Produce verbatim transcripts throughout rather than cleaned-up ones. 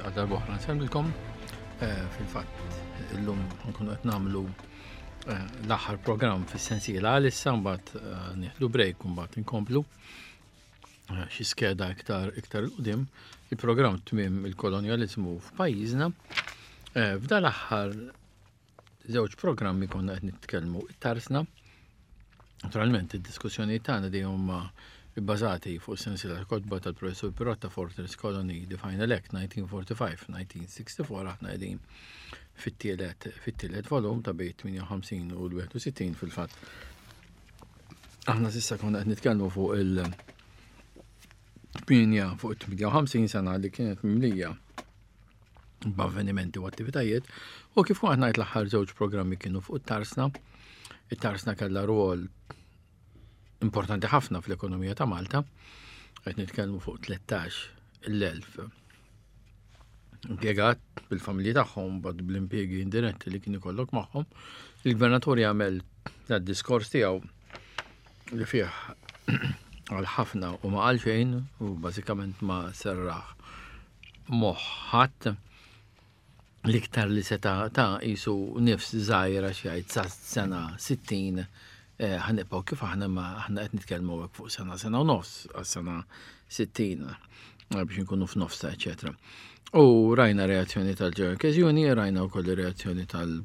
Għal darb'oħra nsellmilkom. Eh, fil-fatt, illum nkunu qed nagħmlu eh, l-aħħar programm fis-sensiela għalissa, mbagħad eh, nieħdu break u mbagħad inkomplu xi skeda iktar iktar 'il quddiem, il-programm Tmiem il-Kolonjaliżmu f'pajjiżna. F'dan l-aħħar żewġ programmi konna qed nitkellmu it-tarsna. Naturalment, id-diskussjoni tagħna dejjem huma bbażati fuq sensiela kotba tal-Professur Pirotta, Fortress Colony, The Final Act nineteen forty-five nineteen sixty-four. Aħna qegħdin fit-tielet fit-tielet volum ta' bejn tmienja u ħamsin u l-wieħed u sittin fil-fatt. Aħna s'issa konna qed nitkellmu fuq il- tmienja fuq tmienja u ħamsin sena li kienet mimlija b'avvenimenti u attivitajiet, u kif kont ngħid, l-aħħar żewġ programmi kienu fuq it-tarsna. It-tarsna kellha rwol importanti ħafna fl-ekonomija ta' Malta, qed nitkellmu fuq tlettax-il elf impjegat bil-familji tagħhom, bad bl-impjegi indiretti li kien ikollok magħhom. Il-gvernatur jagħmel dad-diskors tiegħu li fih għal ħafna u ma qal xejn u bażikament ma serraħ moħħ ħadd. L-iktar li seta ta' jisu nifs żgħira xi sa sena sittin eh, ħa nibqgħu kif aħna, ma aħna qed nitkellmu hekk fuq sena, sena u nofs għas-sena sittin eh, biex nkunu f'nofsa, eċetera. U rajna reazzjoni tal-General Union, rajna wkoll reazzjoni tal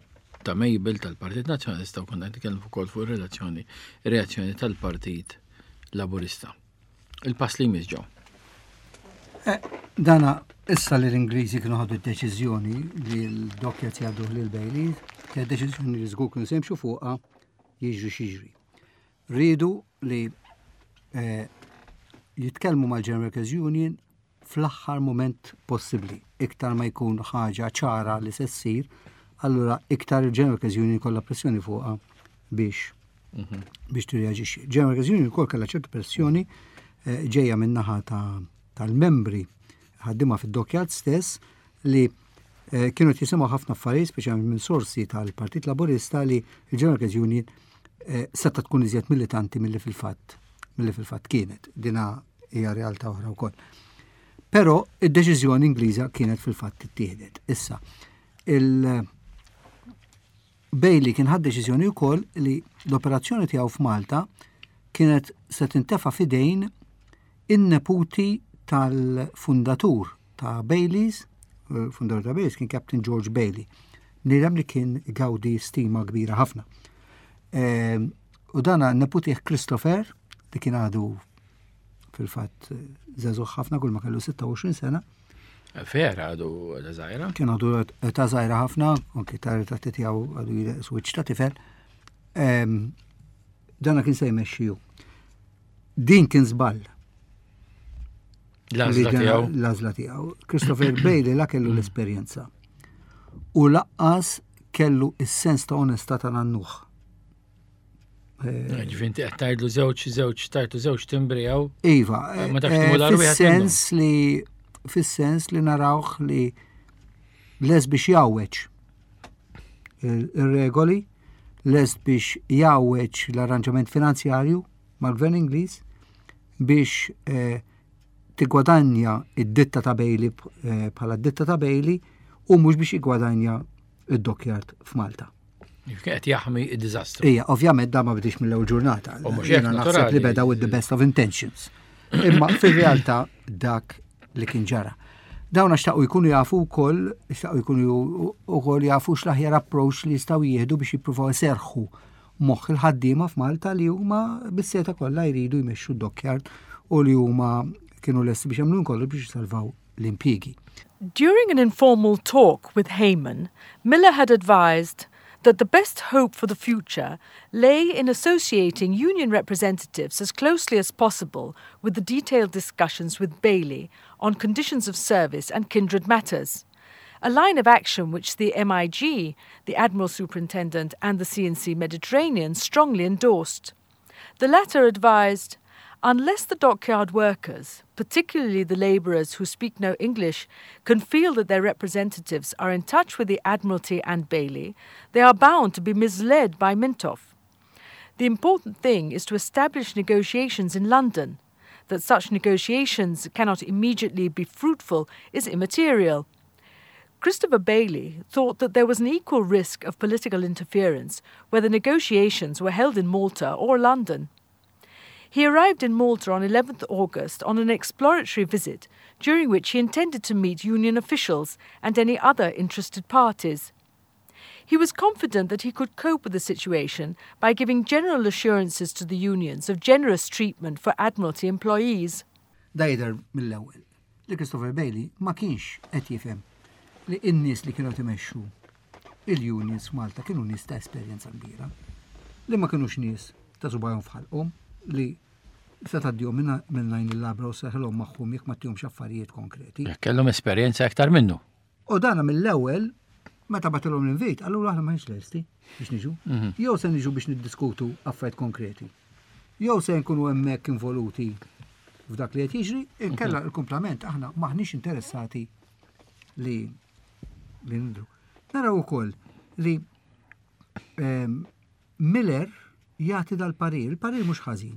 ta' Mabel tal-Partit Nazzjonalista u konna qed nitkellmu wkoll fuq ir-relazzjoni reazzjoni tal-Partit Laburista. Il-pass li jmiss ġew. Eh, dana issa li l-Ingliżi kienu ħadu d-deċiżjoni li l-dockyard jgħaddu lil Bailey, kienet deċiżjoni li żgur kienu se jimxu fuqha jiġri x'jiġri. Riedu li eh, jitkellmu mal-General Workers Union fl-aħħar moment possibbli. Iktar ma jkun ħaġa ċara li se ssir, allura iktar il-General Workers Union kollha pressjoni fuqha biex biex tirreaġixxi. General Workers Union ukoll kellha ċertu pressjoni eh, ġejja min-naħa ta' tal-membri ħaddiema fid-dockyard stess li eh, kienu jisimgħu ħafna affarijiet, speċjalment minn sorsi tal-Partit Laburista, li il-General Workers Union eh, seta tkun iżjed militanti milli fil-fatt milli fil-fatt kienet. Dina hija realtà oħra wkoll. Però id-deċiżjoni Ingliża kienet fil-fatt ittieħdet. Issa, il- Bailey kien ħad deċiżjoni wkoll li l-operazzjoni tiegħu f'Malta kienet se tintefa' f'idejn in-neputi tal-fundatur ta' Baileys, fundatur ta' Baileys kien Captain George Bailey, bniedem li kien gawdi stima kbira ħafna. Ehm, u dana neputih Christopher, li kien għadu fil-fatt żagħżugħ ħafna, kull ma kellu sitta u għoxrin sena. Vera għadu ta' żgħira? Kien għadu ta' żgħira ħafna, anki ta' ritratti tiegħu għadu switch ta' tifel. Ehm, dana kien se jmexxiju. Din kien żball. L-għażla tiegħu. L-għażla tiegħu. Christopher Bailey la kellu l-esperjenza. U lanqas kellu is-sens ta' onestà ta' nannuh. Eh, Ġifieri inti qed tgħidlu żewġ żewġ tajtu żewġ timbri hawn. Iva, Ma tafx tmur eh, għal wieħed fis-sens li fis-sens li narawh li les biex jgħawweġ il-regoli, les biex jgħawweġ l-arranġament finanzjarju mal-gvern Ingliż biex eh, tigwadanja id-ditta ta' Bailey eh, bħala d-ditta ta' Bailey u mhux biex jigwadanja id-dockyard f'Malta. Qed jaħmi id-diżastru. Ija, ovvjament da ma bidix mill-ewwel ġurnata. U mhux hekk, Jiena naħseb naturali. li beda with the best of intentions. Imma fir-realtà dak li kien ġara. Dawn xtaqu jkunu jafu wkoll, xtaqu jkunu wkoll jafu x'l-aħjar approach li jistgħu jieħdu biex jippruvaw iserħu moħħ il-ħaddiema f'Malta li huma bis-seta kollha jridu jmexxu d-dockyard u li huma kienu lesti biex jagħmlu kollu biex jisalvaw l-impjiegi. During an informal talk with Hayman, Miller had advised that the best hope for the future lay in associating union representatives as closely as possible with the detailed discussions with Bailey on conditions of service and kindred matters. A line of action which the M I G, the Admiral Superintendent, and the C and C Mediterranean strongly endorsed. The latter advised, "Unless the dockyard workers, particularly the labourers who speak no English, can feel that their representatives are in touch with the Admiralty and Bailey, they are bound to be misled by Mintoff. The important thing is to establish negotiations in London. That such negotiations cannot immediately be fruitful is immaterial. Christopher Bayly thought that there was an equal risk of political interference whether negotiations were held in Malta or London. He arrived in Malta on eleventh August on an exploratory visit, during which he intended to meet union officials and any other interested parties. He was confident that he could cope with the situation by giving general assurances to the unions of generous treatment for Admiralty employees. Da jidher mill-ewwel li Christopher Bayly ma kienx qed jifhem li n-nies li kienu timexxu il-unions f'Malta kienu nies ta' esperjenza kbira, li ma kienux nies ta' subgħajhom f'ħalqhom li se tgħaddihom minn għajn il-labra u seħlhom magħhom jekk ma ttihomx affarijiet konkreti. Jekk kellhom esperjenza aktar minnu. U dana mill-ewwel meta bagħtilhom l-invit, allura aħna m'aħniex lesti biex niġu. Mhm. Jew se niġu biex niddiskutu affarijiet konkreti. Jew se nkunu hemmhekk involuti f'dak li qed jiġri, inkella il-kumplament aħna m'aħniex interessati li li nidru. Naraw ukoll li ehm, Miller jagħti dal-parir, il-parir mhux ħażin,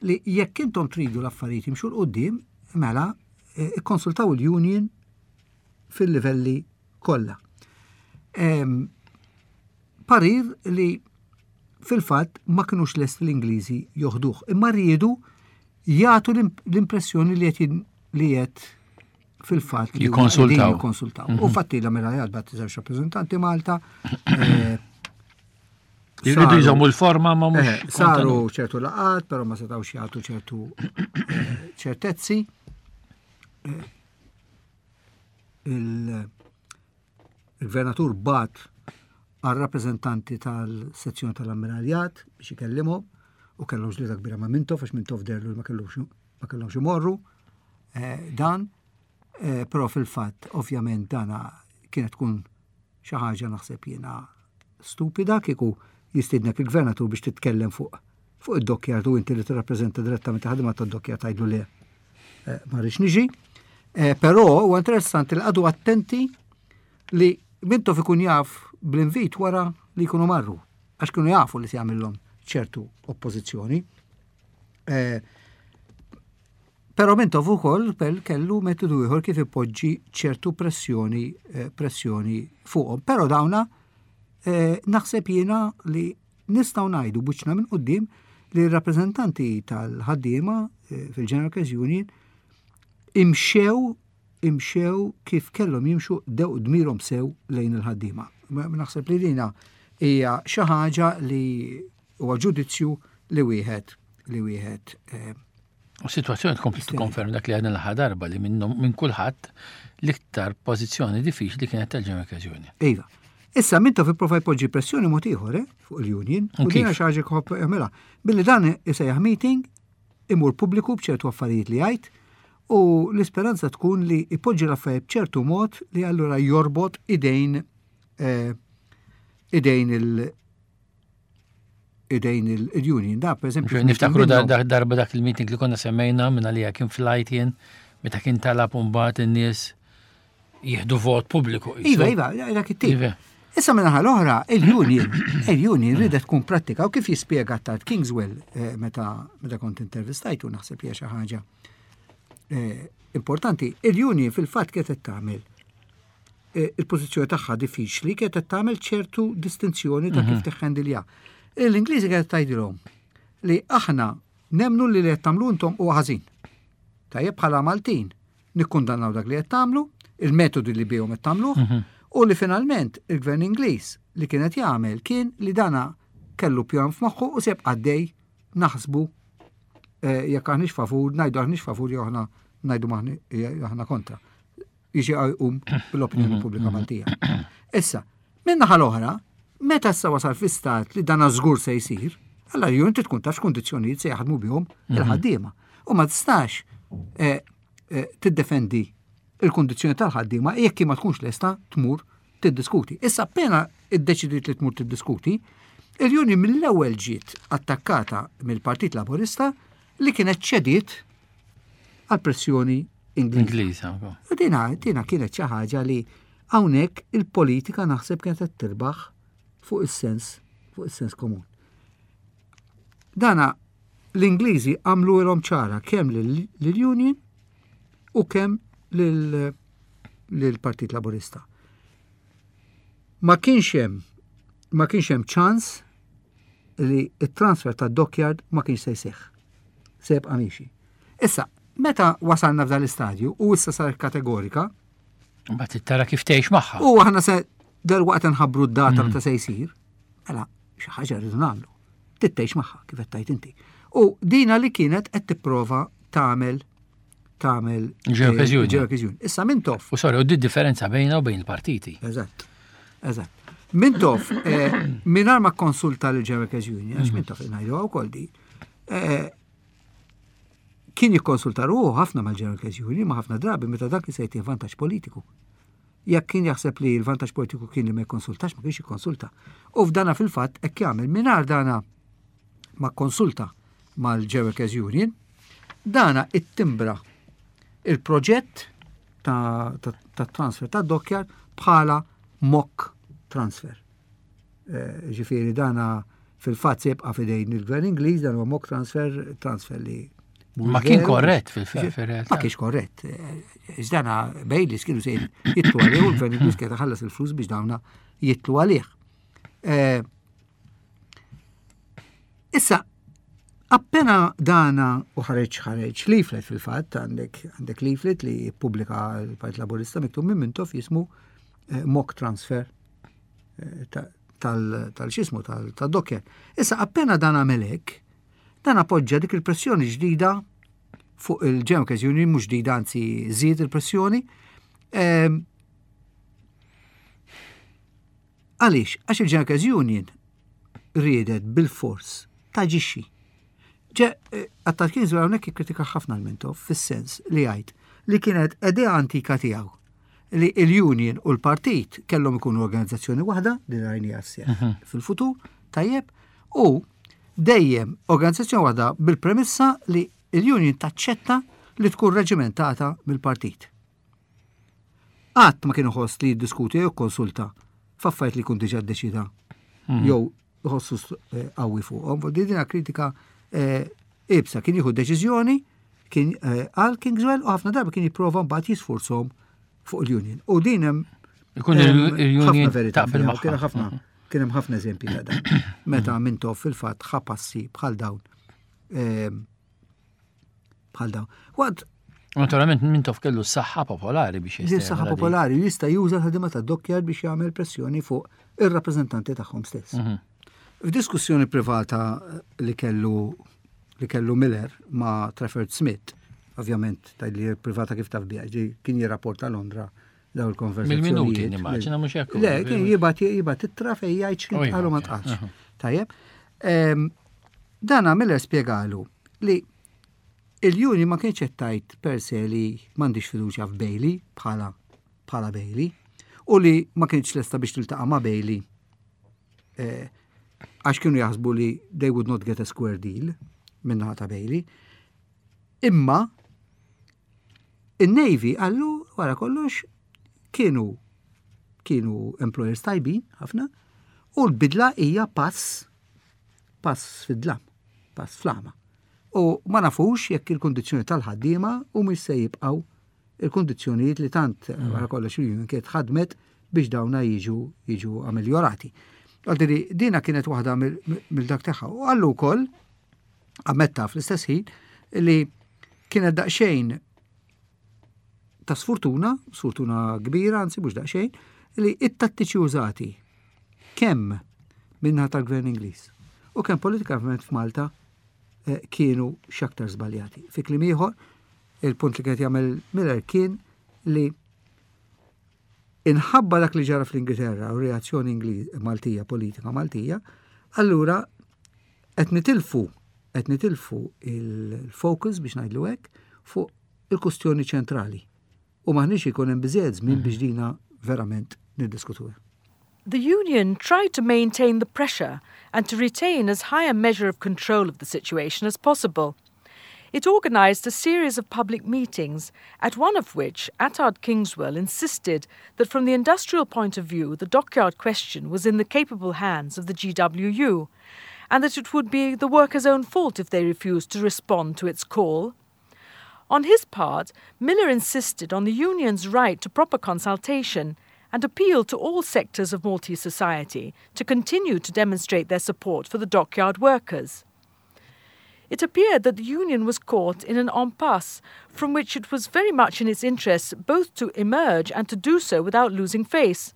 li jekk intom tridu l-affarijiet jimxu 'l quddiem, mela eh, ikkonsultaw il-union fil-livelli kollha. Ehm, parir li fil-fatt ma kinux lest l-Ingliżi joħduh, imma riedu jagħtu l-impressjoni li qed li qed fil-fatt li Jikkonsultaw. jikkonsultaw. U fatti l-Ammiraljat bagħat żewġ rappreżentanti Malta. eh, Jridu saru- jżommu l-forma ma mhux Eh, saru ċertu laqat, però ma setawx jagħtu ċertu eh, ċertezzi. Eh, il- Il-gvernatur bagħat għal rappreżentanti tal-sezzjoni tal-ammiraljat biex ikellimhom u kellhom ġlieda kbira ma' Mintoff għax Mintoff deherlu li ma kellux ma kellhomx imorru eh, dan, eh, però fil-fatt ovvjament dana kienet tkun xi ħaġa naħseb jiena stupida kieku jistidnek il-gvernatur biex titkellem fuq fuq id-dockyard u inti li tirrappreżenta direttament ħadima tad-dockyard tgħidlu le eh, ma rridx niġi. Eh, Però huwa interessanti li qagħdu attenti li Mintoff ikun jaf bl-invit wara li jkunu marru, għax kienu jafu li se jagħmilhom ċertu oppożizzjoni. Eh, Però Mintoff ukoll pel kellu metodu ieħor kif ipoġġi ċertu pressjoni eh, pressjoni fuqhom. Però dawna eh, naħseb jiena li nistgħu ngħidu b'wiċċna minn quddiem li r-rappreżentanti tal-ħaddiema eh, fil-General Workers Union imxew imxew kif kellhom jimxu qdew dmirhom sew lejn il-ħaddiema. Ma- Naħseb li dina hija xi ħaġa li huwa ġudizzju li wieħed li wieħed eh, U situazzjoni tkompli tikkonferma dak li għadna l-aħħar darba li minnhom minn kulħadd l-iktar pożizzjoni diffiċli kienet tal-General Workers Union. Iva. Issa Mintoff ipprova jpoġġi pressjoni mod ieħor eh, fuq il-union U u dina kif? xi ħaġa jħobb jagħmilha. Billi dan isejjaħ meeting imur pubbliku b'ċertu affarijiet li jgħid u l-isperanza tkun li ipoġġi l-affarijiet b'ċertu mod li allura jorbot idejn eh, idejn il idejn il-union. Da, per eżempju, Niftakru da- minnhom- da- darba dak il-meeting li konna semmejna minn għalija kien flight jien meta kien talab mbagħad in-nies jieħdu vot pubbliku. Iva, iva, dak it-tip. Iva. Issa minnaħa l-oħra, il-union, il-union ridet tkun pratika u kif jispjega tard Kingswell eh, meta meta kont intervistajtu naħseb li hija xi ħaġa eh, importanti. Il-union fil-fatt kienet qed tagħmel eh, il-pożizzjoni tagħha diffiċli kienet qed tagħmel ċertu distinzjoni ta' kif tiħħendilja. L-Ingliżi kienet tgħidilhom li aħna nemnu li li qed tagħmlu intom huwa ħażin. Tajjeb bħala Maltin nikkundannaw dak li qed tagħmlu, il-metodi li bihom qed tagħmluh, u li finalment il-gvern Ingliż li kienet jagħmel kien li dana kellu pjan f'moħħu u seb għaddej naħsbu eh, jekk aħniex favur, ngħidu aħniex favur jew aħna ngħidu maħni- jew aħna kontra. Jiġi jqum bil-opinjoni pubblika Maltija. Issa, minn naħa l-oħra, meta issa wasal fi stat li dana żgur se jsir, allora ju inti tkun taf x'kundizzjonijiet se jaħdmu bihom il-ħaddiema. U ma tistax eh, eh, tiddefendi il-kundizzjoni tal-ħaddiema jekk ma tkunx lesta tmur tiddiskuti. Issa appena iddeċidiet li tmur tiddiskuti, il-Union mill-ewwel ġiet attakkata mill-Partit Laburista li kienet ċediet għal pressjoni Ingliża. Ingliża. U dina, dina kienet xi ħaġa li hawnhekk il-politika naħseb kienet qed tirbaħ fuq is-sens fuq is-sens komun. Dana L-Ingliżi għamluhielhom ċara kemm lill-Union u kemm lill-Partit Laburista. Ma kienx hemm ma kienx hemm ċans li it-transfer ta' dockyard ma kienx se jseħħ. Se jibqa' miexi. Issa, meta wasalna f'dan l-istadju u issa sar kategorika, Mbagħad tara kif tgħix magħha. U aħna se dalwaqt nħabbru d-data meta se jsir, mela xi ħaġa rridu nagħmlu. Tgħix magħha kif qed tgħid inti. U dina li kienet qed tipprova tagħmel tagħmel Ġeokkażjoni. Ġeokkażjoni. Issa Mintoff. U sorry, u di differenza bejna u bejn il-partiti. Eżatt. Eżatt. Mintoff, eh, mingħajr ma konsulta l-General Union, għax Mintoff ngħidu wkoll di, eh, kien jikkonsulta ruħu ħafna mal-General Union, ma ħafna drabi meta dak li se jtih vantaġġ politiku. Jekk kien jaħseb li l-vantaġġ politiku kien li ma jikkonsultax, ma kienx jikkonsulta. U f'dana fil-fatt hekk jagħmel mingħajr dana ma konsulta mal-General Union, dana ittimbra il-proġett ta', ta, ta transfer ta' dockyard bħala mock transfer. Eh, Ġifieri dana fil-fatt se jibqa' fidejn il-gvern Ingliż, dan huwa mock transfer, transfer li mhux Ma kien veru. korrett fil-realtà. Ma kienx korrett. Eh, Iżdana Baileys kienu se jitilgħu għalih u l-gvern Ingliż kien ħallas il-flus biex dawna jitilgħu għalih. Eh, Issa, appena dana u ħareġ ħareġ leaflet fil-fatt, għandek għandek leaflet li pubblika l-Partit Laburista miktub minn Mintoff jismu eh, mock transfer eh, ta- tal- tal-xismu tal-dockyard. Issa, appena dan għamel hekk, dan appoġġa dik il-pressjoni ġdida fuq il-General Union, mhux ġdida anzi żied il-pressjoni. Ehm, Għaliex? Għax il-General Union riedet bil-fors taġixxi. Ġe, Attard Kingswell hawnhekk ikkritika ħafna l-Mintoff fis-sens li jgħid li kienet idea antika tiegħu li il-union u l-partit kellhom ikunu organizzazzjoni waħda li rajni sseħħ fil-futur, tajjeb, u dejjem organizzazzjoni waħda bil-premessa li il-union taċċetta li tkun reġimentata mill-partit. Qatt ma kienu ħoss li jiddiskuti jew konsulta f'affarijiet li jkun diġà ddeċida jew jħossu eh, qawwi fuqhom. Di dina kritika eh, ibsa kien jieħu deċiżjoni kien eh, għal Kingswell u ħafna darba kien jipprova mbagħad jisfurzhom fuq il-union. U din hemm Ikun hemm il-union ħafna verità taqbel fiha, magħha. Kien ħafna kien hemm ħafna eżempji ta' dan. Meta Mintoff fil-fatt ħa passi bħal dawn. Ehm, Bħal dawn. Waqt Naturalment Mintoff kellu s-saħħa popolari biex Din saħħa popolari jista' juża l-ħadima ta' dockyard biex jagħmel pressjoni fuq ir-rappreżentanti tagħhom stess. Mhm. F'diskussjoni privata li kellu li kellu Miller ma' Trafford Smith, ovvjament li privata kif taf biha, ġi kien jirrapporta Londra daw il-konversazzjonijiet. Mill-minuti nimmaġina mhux hekk. Le, kien jibgħat jibgħat ittra fejn jgħid x'kien Oh, iva, qalu ma ok. tqalx. Aha. Tajjeb. Ehm, Dana Miller spjegalu li il-Union ma kienx qed tgħid per se li m'għandix fiduċja f'Bailey bħala bħala Bailey u li ma kienx lesta biex tiltaqa' ma' Bailey eh, għax kienu jaħsbu li they would not get a square deal minnaħa ta' Bailey. Imma in-Navy għallu wara kollox kienu kienu employers tajbin ħafna u l-bidla hija pass pass fid-dlam, pass flama. U ma nafux jekk il-kondizzjoni tal-ħaddiema u mhux se jibqgħu il-kondizzjonijiet li tant wara kollox il-union kienet ħadmet biex dawna jiġu jiġu ameljorati. Għaldiri, dina kienet waħda mill-dak tagħha. U għallu wkoll ammetta fl-istess ħin li kienet daqsxejn ta' sfortuna, sfortuna kbira, anzi mhux daqsxejn, li it-tattiċi użati kemm minnaħa tal-gvern Ingliż u kemm politikament f'Malta eh, kienu x'aktar żbaljati. Fi kliem ieħor, il-punt li kienet jagħmel Miller kien li inħabba dak li ġara fl-Ingilterra u reazzjoni Ingliż Maltija, politika Maltija, allura qed nitilfu qed nitilfu il-focus biex ngħidlu hekk fuq il-kustjoni ċentrali. U m'aħniex ikun hemm biżejjed żmien biex dina verament niddiskutuha. The union tried to maintain the pressure and to retain as high a measure of control of the situation as possible. It organised a series of public meetings, at one of which Attard Kingswell insisted that from the industrial point of view the dockyard question was in the capable hands of the G W U, and that it would be the workers' own fault if they refused to respond to its call. On his part, Miller insisted on the union's right to proper consultation and appealed to all sectors of Maltese society to continue to demonstrate their support for the dockyard workers. It appeared that the union was caught in an impasse from which it was very much in its interests both to emerge and to do so without losing face.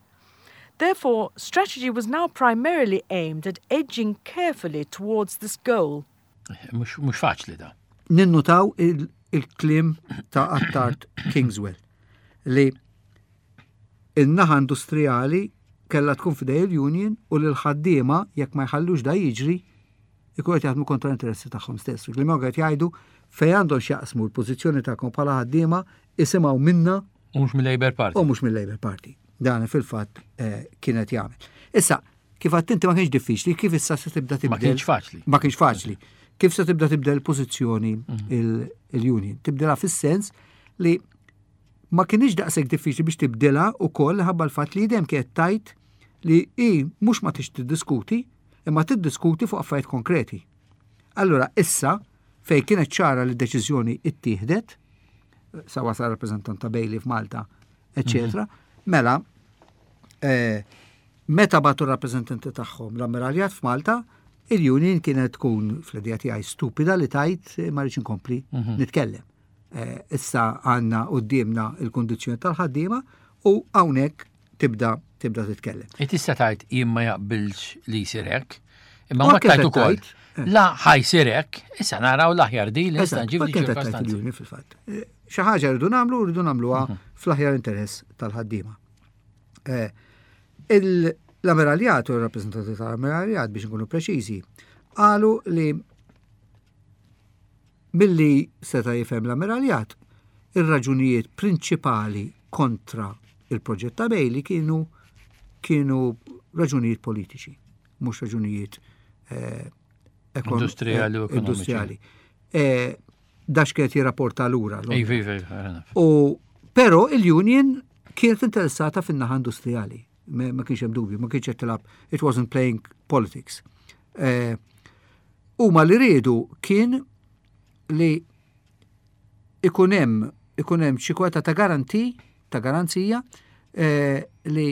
Therefore, strategy was now primarily aimed at edging carefully towards this goal. Mhux faċli da. Ninnutaw il-kliem ta' Attard Kingswell li in-naħa industrijali kella tkun f'idej il-union u l-ħaddiema jekk ma jħallux da jiġri ikun qed jaħdmu kontra interessi tagħhom stess. Li ma qed jgħidu fejn għandhom x'jaqsmu l-pożizzjoni tagħkom bħala ħaddiema isimgħu minna U mhux mill-Labour Party. U mhux mill-Labour Party. Dan fil-fatt eh, kienet jagħmel. Issa, kif għedt inti, ma kienx diffiċli, kif issa se tibda tibdel. Ma kienx faċli. Ma kienx faċli. Kif se tibda tibdel pożizzjoni mhm. il-union? Tibdilha fis-sens li ma kienx daqshekk diffiċli biex tibdilha ukoll ħabba l-fatt li dejjem kienet tgħid li i mhux ma tix tiddiskuti, imma tiddiskuti fuq affarijiet konkreti. Allura issa fej kienet ċara li deċiżjoni ittieħdet, sa wasal rappreżentant ta' Bailey f'Malta, eccetera, mhm. mela eh, meta bagħtu rappreżentanti tagħhom l-ammiraljat f'Malta, il-union kienet tkun fl-idea tiegħi stupida li tgħid ma rridx inkompli mhm. nitkellem. Eh, issa għandna qudiemna il-kondizzjoni tal-ħaddiema u hawnhekk tibda tibda titkellem. E tista' tgħid jien ma jaqbilx li jsir hekk, imma ma tgħid ukoll. Eh. La ħa jsir hekk, issa naraw l-aħjar di li nista' nġib ċirkostanzi. Fil-fatt. Eh, xi ħaġa rridu nagħmlu, rridu nagħmluha mhm. fl-aħjar interess tal-ħaddiema. L-ammiraljat u l-rappreżentanti tal-ammiraljat, biex nkunu preċiżi, qalu li milli seta' jifhem l-ammiraljat, ir-raġunijiet prinċipali kontra il-proġett ta' Bailey kienu kienu raġunijiet politiċi, mhux raġunijiet eh, industrijali u industrijali. Eh, Dax kienet jirrapporta lura. Iva, iva, iva, U però il-union kienet interessata fin-naħa industrijali. Ma kienx hemm dubju, ma kienx qed tilgħab, it wasn't playing politics. Eh, huma li riedu kien li ikun hemm ikun hemm xi kwota ta' garanti, ta' garanzija eh, li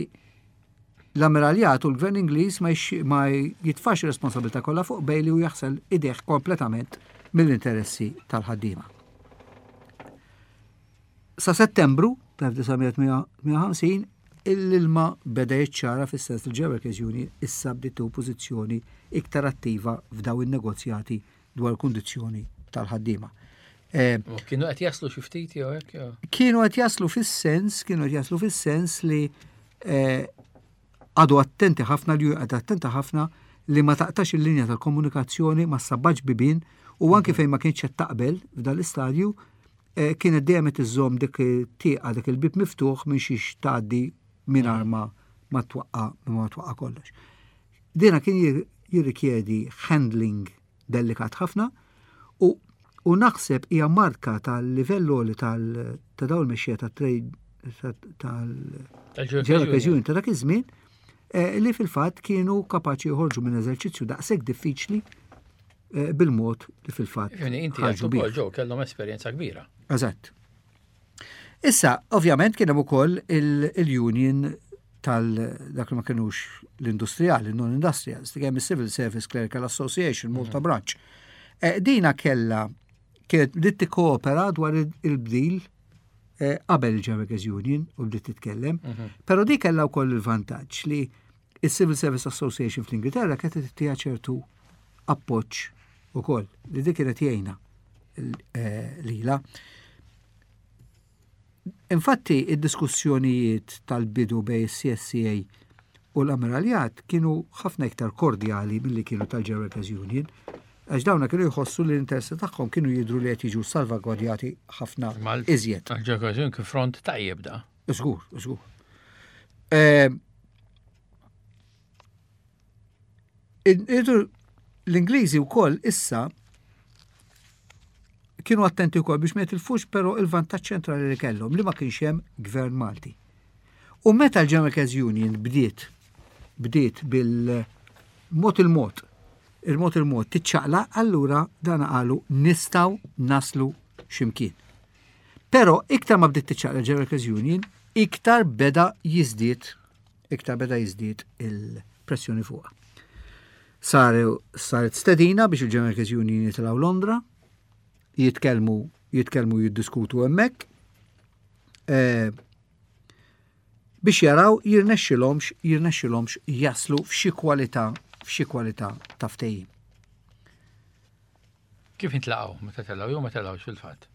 l-ammiraljat u l-gvern Ingliż ma, ma jitfax responsabilità kollha fuq Bailey u jaħsel idejh kompletament mill-interessi tal-ħaddiema. Sa Settembru tal-elf disa' mija tmienja u ħamsin l-ilma beda jiċċara fis-sens li Workers Union issa bdiet pożizzjoni iktar attiva f'daw in-negozjati dwar kundizzjoni tal-ħaddiema. Eh, kienu qed jaslu xi ftit jew hekk? Kienu qed jaslu fis-sens, kienu qed jaslu fis-sens li eh, għadu attenti ħafna li għadu attenta ħafna li ma taqtax il-linja tal-komunikazzjoni, ma ssabbatx bibien u anki mhm. fejn ma kienx qed taqbel f'dan l-istadju eh, kienet dejjem qed iżżomm dik tieqa, dik il-bib miftuħ minn xiex tgħaddi mingħajr ma ma twaqqa ma twaqqa kollox. Dina kien jirrikjedi handling delikat ħafna u u naħseb hija marka tal-livell li tal ta' dawn il-mexxija tat-trade tal-Workers Union ta' dak iż-żmien eh, li fil-fatt kienu kapaċi joħorġu minn eżerċizzju daqshekk diffiċli eh, bil-mod li fil-fatt. Inti ħarġu ġew kellhom esperjenza kbira. Eżatt. Issa, ovvjament kien hemm ukoll il-union tal dak li ma kienux l-industrijali, non-industrials, hemm il-Civil Service Clerical Association, Malta mhm. Branch. Eh, dina kella kienet bdiet tikkoopera dwar il-bdil eh, qabel il-Workers Union u bdiet titkellem, mhm. però di kella wkoll il-vantaġġ li il-Civil Service Association fl-Ingilterra kienet tagħtiha ċertu appoġġ ukoll li dik kienet jgħinha eh, lila. Infatti, id-diskussjonijiet tal-bidu bej C S C A u l-ammiraljat kienu ħafna iktar kordjali milli kienu tal-Workers Union, għax dawna kienu jħossu li l-interessi tagħhom kienu jidru li qed jiġu salvagwardjati ħafna iżjed. Għal-Workers Union kien front tajjeb da. Żgur, żgur. Eh, L-Ingliżi wkoll issa kienu attenti wkoll biex ma jitilfux però il-vantaġġ ċentrali li kellhom li ma kienx hemm gvern Malti. U meta l-General Workers Union bdiet bdiet bil-mod il-mod Il-mod il-mod tiċċaqlaq, allura dan qalu nistgħu naslu x'imkien. Però iktar ma bdiet tiċċaqlaq General Workers Union, iktar beda jiżdied, iktar beda jiżdied il-pressjoni fuqha. Saru saret stedina biex il-General Workers Union jitilgħu Londra, jitkellmu jitkellmu jiddiskutu hemmhekk. Eh, biex jaraw jirnexxilhomx jirnexxilhomx jaslu f'xi kwalità f'xi kwalità ta' ftehim. Kif intlaqgħu meta telgħu jew ma telgħux fil-fatt?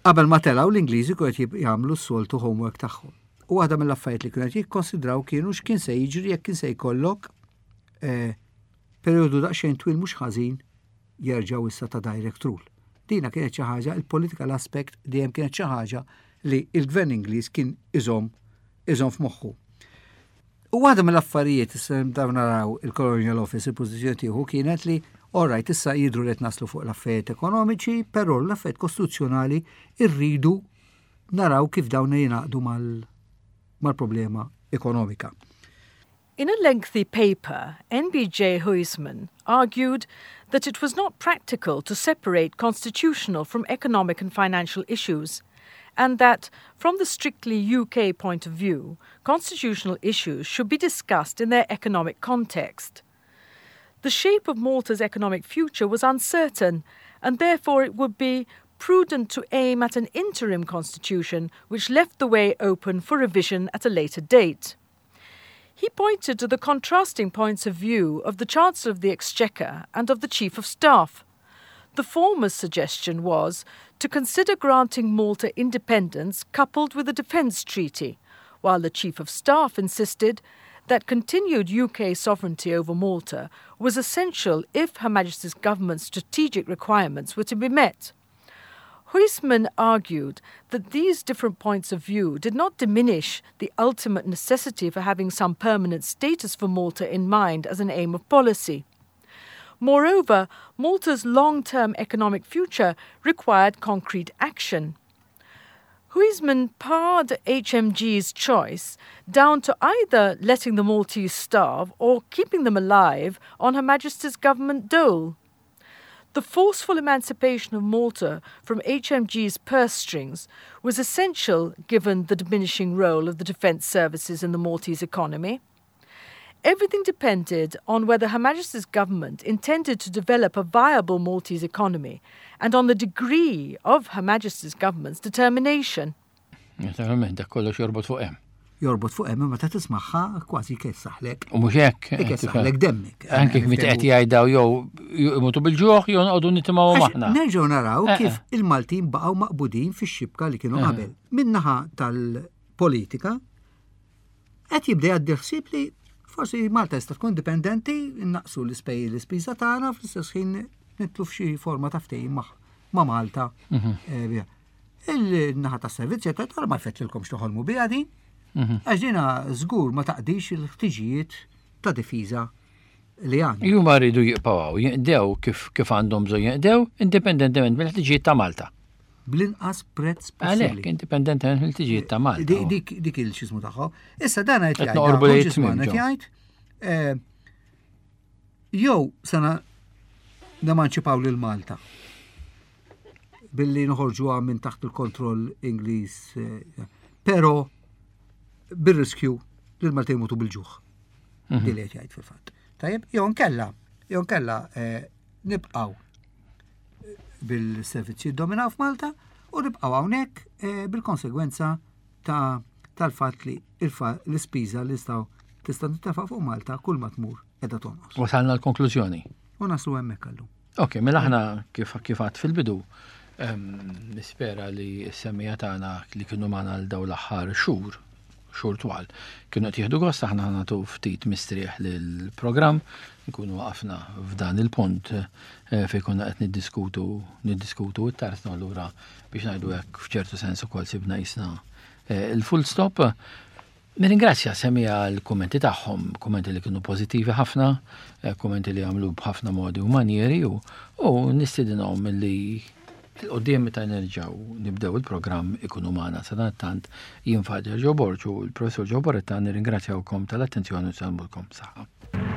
Qabel ma telgħu, l-Ingliżi kienu qed jagħmlu s-soltu homework tagħhom. U waħda mill-affarijiet li kienu qed jikkonsidraw kienu x'kien se jiġri jekk kien se jkollok eh, perjodu daqsxejn twil mhux ħażin jerġgħu issa ta' direct rule. Dina kienet xi ħaġa, il-political aspect dejjem kienet xi ħaġa li il-gvern Ingliż kien iżomm iżomm f'moħħu. U waħda mill-affarijiet issa dawn naraw il-Colonial Office, il-pożizzjoni tieħu kienet li, alright, issa jidru li qed naslu fuq l-affarijiet ekonomiċi, però l-affarijiet kostituzzjonali irridu naraw kif dawn jingħaqdu mal- mal-problema ekonomika. In a lengthy paper, N B J Huysman argued that it was not practical to separate constitutional from economic and financial issues, and that, from the strictly U K point of view, constitutional issues should be discussed in their economic context. The shape of Malta's economic future was uncertain, and therefore it would be prudent to aim at an interim constitution which left the way open for revision at a later date. He pointed to the contrasting points of view of the Chancellor of the Exchequer and of the Chief of Staff. The former's suggestion was to consider granting Malta independence coupled with a defence treaty, while the Chief of Staff insisted that continued U K sovereignty over Malta was essential if Her Majesty's government's strategic requirements were to be met. Huysman argued that these different points of view did not diminish the ultimate necessity for having some permanent status for Malta in mind as an aim of policy. Moreover, Malta's long term economic future required concrete action. Huysman pared H M G's choice down to either letting the Maltese starve or keeping them alive on Her Majesty's government dole. The forceful emancipation of Malta from H M G's purse strings was essential given the diminishing role of the defence services in the Maltese economy. Everything depended on whether Her Majesty's government intended to develop a viable Maltese economy and on the degree of Her Majesty's government's determination. Naturalment, dak kollox jorbot fuq hemm. Jorbot fuq hemm, meta tismagħha kważi kessaħlek. U mhux hekk. Ikessaħlek demmek. Anke kif qed jgħidaw jew imutu bil-ġuħ jew noqogħdu nitimgħu aħna. Nerġgħu naraw Eh, kif eh. il-Maltin baqgħu maqbudin fix-xibka li kienu Eh. qabel. Min-naħa tal-politika qed jibda jgħaddi ħsieb li forsi Malta jista' tkun indipendenti, naqsu l-ispej l-ispiża tagħna, fl-istess ħin nidħlu f'xi forma ta' ftehim ma' ma' Malta. Eh, bija. Il-naħa tas servizzi qed tara ma jfettilkomx toħolmu biha din. Għax dina żgur ma taqdix il-ħtiġijiet ta' difiża li għandna. Huma rridu jibqgħu jinqdew kif kif għandhom bżonn jinqdew, indipendentement mill-ħtiġijiet ta' Malta. Bl-inqas prezz Għalhekk possibbli. Indipendentement mill-ħtiġijiet ta' Malta. Dik dik dik il-xismu tagħhom. Issa dan qed Qed jgħid noqorbu lejn Hodges-Mann it-tmiem, qed jgħid eh, jew sena nemanċipaw lil Malta billi noħorġuha minn taħt il-kontroll Ingliż, eh, però bir-riskju li l-Maltin imutu bil-ġuħ. Mhm. Di li qed jgħid fil-fatt. Tajjeb, jew nkella, jew nkella eh, nibqgħu bil-servizzi dominaw f'Malta u nibqgħu hawnhekk eh, bil-konsegwenza ta' tal-fatt li il-fa- l-ispiża li jistgħu tista' tintefa' fuq Malta kull ma tmur qiegħda tonqos. Wasalna l-konklużjoni. U naslu hemmhekk allum. Ok, mela aħna kif kif għedt fil-bidu, em, nispera li s-semmiegħa tagħna li kienu magħna l daw l-aħħar xhur, xhur twal, kienu qed jieħdu gost. Aħna nagħtu ftit mistrieħ lill-programm, nkunu waqafna f'dan il-punt eh, fejn konna qed niddiskutu niddiskutu t-tarzna, allura biex ngħidu hekk f'ċertu sens ukoll sibna jisna eh, il-full stop. Nirringrazzja semmiegħa l-kummenti tagħhom, kummenti li kienu pożittivi ħafna, eh, kummenti li għamlu b'ħafna modi u manieri u, u nistidinhom li 'l quddiem meta nerġgħu nibdew il-programm ikunu magħna. Sadanittant jien Father Joe Borg u l-Professor Joe Boretta nirringrazzjawkom tal-attenzjoni u nsellmulkom saħħa.